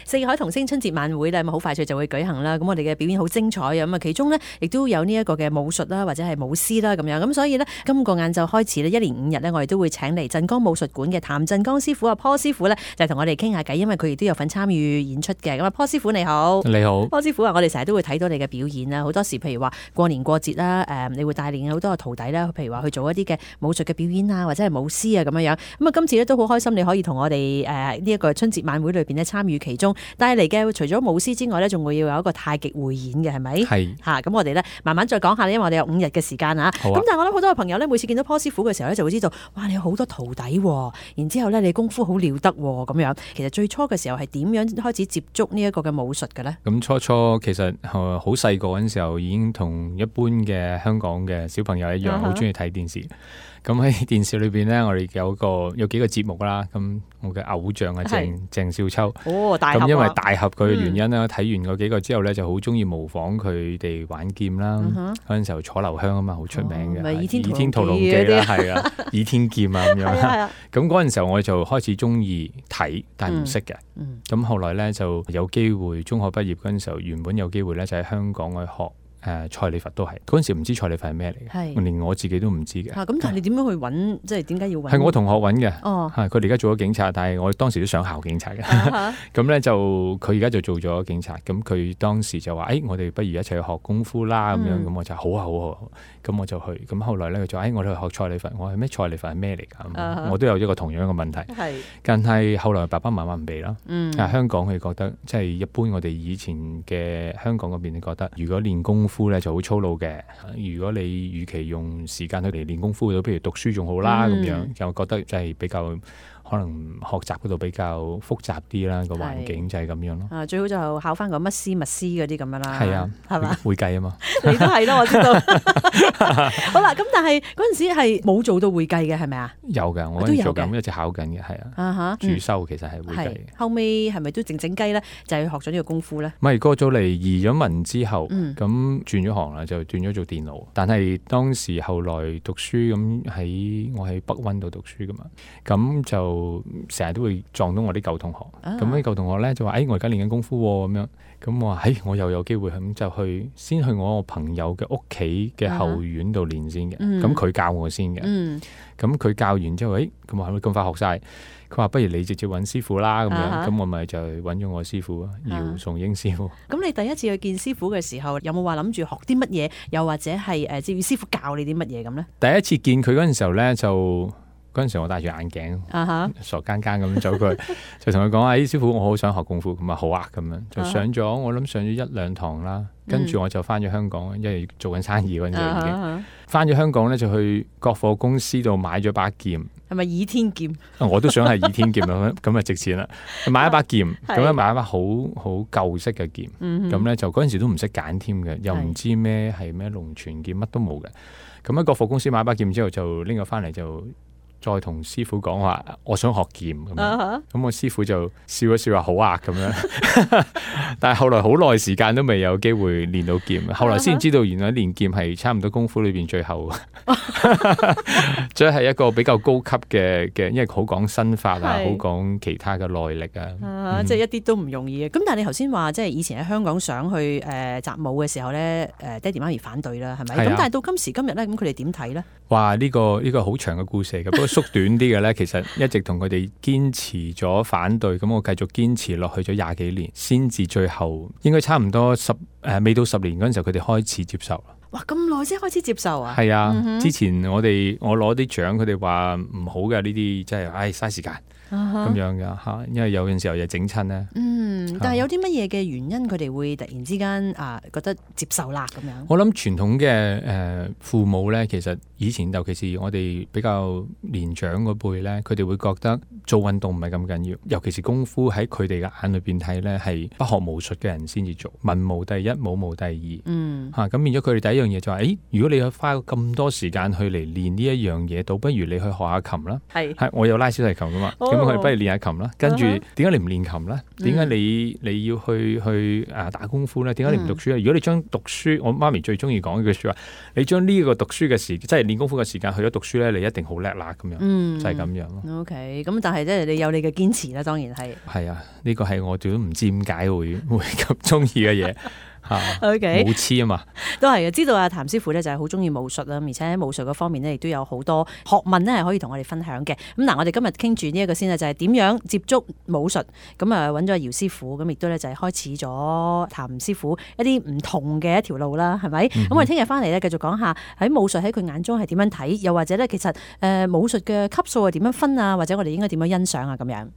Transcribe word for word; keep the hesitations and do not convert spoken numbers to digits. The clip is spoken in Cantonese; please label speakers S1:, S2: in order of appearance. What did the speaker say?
S1: 四海同聲春節晚會咧，咁好快脆就會舉行啦。咁我哋嘅表演好精彩啊！咁啊，其中呢，亦都有呢一個嘅武術啦，或者係舞獅啦咁樣。咁所以呢，今個晏晝開始呢，一連五日呢，我哋都會請嚟鎮江武術館嘅譚鎮江師傅啊，坡師傅呢，就同我哋傾下偈，因為佢亦都有份參與演出嘅。咁啊，坡師傅你好，
S2: 你好，
S1: 坡師傅啊，我哋成日都會睇到你嘅表演啦。好多時譬如話過年過節啦，誒，你會帶領好多個徒弟啦，譬如話去做一啲嘅武術嘅表演啊，或者係舞獅啊咁樣樣。咁啊，今次呢，都好開心，你可以同我哋誒呢一個春節晚會裏邊呢參與其中。帶嚟嘅除咗舞獅之外呢，仲會要有一個太極匯演嘅，係咪？係嚇，咁我哋呢，慢慢再講下，因為我哋有五日嘅時間啊。咁、啊、但係我諗好多嘅朋友呢，每次見到坡師傅嘅時候呢，就會知道，哇！你有好多徒弟喎，然之後呢，你功夫好了得喎，咁樣。其實最初嘅時候係點樣開始接觸呢一個嘅武術嘅呢？
S2: 咁初初其實好細個嗰陣時候已經同一般嘅香港嘅小朋友一樣，好中意睇電視。咁喺電視裏邊呢，我哋有個有幾個節目啦。咁我嘅偶像係鄭鄭少秋。
S1: 哦，大俠啊！
S2: 咁因為大俠佢嘅原因啦，睇、嗯、完嗰幾個之後呢，就好中意模仿佢哋玩劍啦。嗰、嗯、陣時候楚留香啊嘛，好出名嘅。
S1: 倚、哦、
S2: 天屠龍記啦，係啊，倚天劍啊咁樣。咁嗰陣時候我就開始中意睇，但係唔識嘅。咁、嗯嗯、後來呢，就有機會，中學畢業嗰陣時候，原本有機會呢，就喺香港去學。誒、呃、蔡李佛都係嗰陣時唔知蔡李佛係咩嚟嘅，連我自己都唔知嘅。咁、啊、但係你點樣去揾？即係點解要揾？係我同學揾嘅。哦，係佢哋而家做咗警察，但係我當時都想考警察嘅。咁咧、啊、就佢而家就做咗警察。咁佢當時就話：誒、哎，我哋不如一齊去學功夫啦。咁、嗯、樣咁我就好啊好啊好。咁我就去。咁後來咧佢就話：誒、哎，我哋去學蔡李佛。我話咩？蔡李佛係咩嚟㗎？啊、我都有一個同樣嘅問題。係。但係後來爸爸媽媽唔俾啦。嗯。香港佢覺得即係一般，我哋以前嘅香港嗰邊覺得，如果練功夫咧就好粗魯嘅。如果你與其用時間去嚟練功夫，不如讀書仲好啦。咁、嗯、樣就覺得就係比較可能學習嗰度比較複雜啲啦，個環境就係咁樣咯。啊，最好就考翻個乜師乜師嗰啲咁樣啦。係啊，係嘛？會計啊嘛。你都係咯，我知道。好啦，咁但係嗰陣時係冇做到會計嘅，係咪啊？有㗎，我都做緊，一直考緊嘅，係啊。啊哈，主修其實係會計。後尾係咪都靜靜雞咧？就係學咗呢個功夫咧？唔係，過咗嚟移咗民之後，咁、嗯、轉咗行啦，就轉咗做電腦。但係當時後來讀書咁喺我喺北溫度讀書㗎嘛，咁就。成日都會撞到我啲舊同學，咁啲舊同學咧就話：誒、哎，我而家練緊功夫喎，咁樣。咁我話：誒、哎，我又有機會咁就去先去我朋友嘅屋企嘅後院度練先嘅。咁、uh-huh. 佢教我先嘅。咁、uh-huh. 佢教完之後，誒、哎，咁我係咪咁快學晒？佢話：不如你直接揾師傅啦，咁樣。咁、uh-huh. 我咪就揾咗我師傅姚崇英師傅。咁、uh-huh. 你第一次去見師傅嘅時候，有冇話諗住學啲乜嘢？又或者係誒，至於師傅教你啲乜嘢咁咧？第一次見佢嗰陣時候咧，就。嗰陣時我戴住眼鏡，uh-huh. 傻更更咁走過去，就同佢講：哎，師傅，我好想學功夫。咁啊，好啊，咁樣就上咗，我諗上咗一兩堂啦。跟住我就翻咗香港，因為做緊生意嗰陣時已經翻咗香港咧，就去國貨公司度買咗把劍。係咪倚天劍？我都想係倚天劍咁，咁啊值錢啦！買一把劍，咁樣買一把好好舊式嘅劍。咁、嗯、咧就嗰陣時都唔識揀添嘅，又唔知咩係咩龍泉劍，乜都冇嘅。咁喺國貨公司買一把劍之後，就拎咗翻嚟就。再同師傅講話，我想學劍咁樣，咁、uh-huh. 我師傅就笑一笑話好啊咁樣，但係後來好耐時間都未有機會練到劍，後來先知道原來練劍係差唔多功夫裏邊最後，即係一個比較高級嘅嘅，因為好講身法啊，好講其他嘅內力啊，啊嗯、即係一啲都唔容易嘅。咁但係你頭先話即係以前喺香港想去誒、呃、習武嘅時候咧，誒爹哋媽咪反對啦，係咪？咁、啊、但係到今時今日咧，咁佢哋點睇咧？哇！呢、這個呢、這個好長嘅故事嚟嘅，不過縮短啲嘅咧，其實一直同佢哋堅持咗反對，咁我繼續堅持落去咗廿幾年，先至最後應該差唔多十誒、呃、未到十年嗰陣時候，佢哋開始接受啦。哇！咁耐先開始接受啊？係啊、嗯，之前我哋我攞啲獎，佢哋話唔好嘅呢啲，即係唉嘥時間。咁、uh-huh. 樣噶吓，因為有陣時候又整親咧。嗯，但係有啲乜嘢嘅原因，佢哋會突然之間啊覺得接受啦咁樣。我諗傳統嘅誒、呃、父母咧，其實以前尤其是我哋比較年長嗰輩咧，佢哋會覺得做運動唔係咁緊要，尤其是功夫喺佢哋嘅眼裏邊睇咧，係不學無術嘅人先至做，文無第一，武無第二。嗯，吓、啊、咁變咗佢哋第一樣嘢就係、是，誒，如果你去花咁多時間去嚟練呢一樣嘢，倒不如你去學下琴啦。係，係我有拉小提琴噶嘛。哦咁佢不如練下琴啦，跟住點解你唔練琴咧？點解你你要去去啊打功夫咧？點解你唔讀書咧？如果你將讀書，我媽咪最中意講一句說話，你將呢個讀書嘅時，即係練功夫嘅時間去咗讀書咧，你一定好叻啦咁樣，
S1: 嗯、
S2: 就係咁樣咯。
S1: OK， 咁但係即係你有你嘅堅持啦，當然係。
S2: 係啊，呢個係我哋都唔知點解會會咁中意嘅嘢。
S1: OK，
S2: 武痴啊嘛，
S1: 都係嘅。知道阿譚師傅咧就係好中意武術啦，而且喺武術嗰方面咧亦都有好多學問咧係可以同我哋分享嘅。咁嗱，我哋今日傾住呢一個先咧，就係點樣接觸武術。咁啊揾咗姚師傅，咁亦都咧就係開始咗譚師傅一啲唔同嘅一條路啦，係咪？咁、嗯、我哋聽日翻嚟咧繼續講下喺武術喺佢眼中係點樣睇，又或者咧其實誒武術嘅級數係點樣分啊，或者我哋應該點樣欣賞啊咁樣。